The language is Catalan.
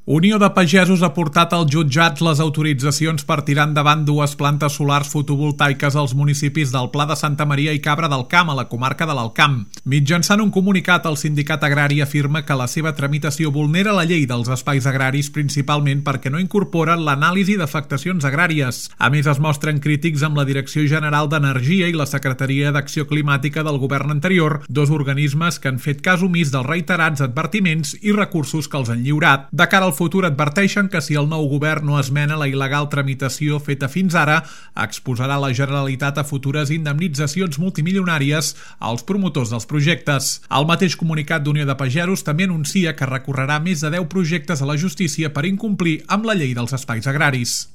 Unió de Pagesos ha portat als jutjats les autoritzacions per tirar endavant dues plantes solars fotovoltaiques als municipis del Pla de Santa Maria i Cabra del Camp, a la comarca de l'Alt Camp. Mitjançant un comunicat, el sindicat agrari afirma que la seva tramitació vulnera la llei dels espais agraris, principalment perquè no incorporen l'anàlisi d'afectacions agràries. A més, es mostren crítics amb la Direcció General d'Energia i la Secretaria d'Acció Climàtica del govern anterior, dos organismes que han fet cas omís dels reiterats advertiments i recursos que els han lliurat. De cara al futur, adverteixen que si el nou govern no esmena la il·legal tramitació feta fins ara, exposarà la Generalitat a futures indemnitzacions multimilionàries als promotors dels projectes. El mateix comunicat d'Unió de Pagesos també anuncia que recorrerà més de 10 projectes a la justícia per incomplir amb la llei dels espais agraris.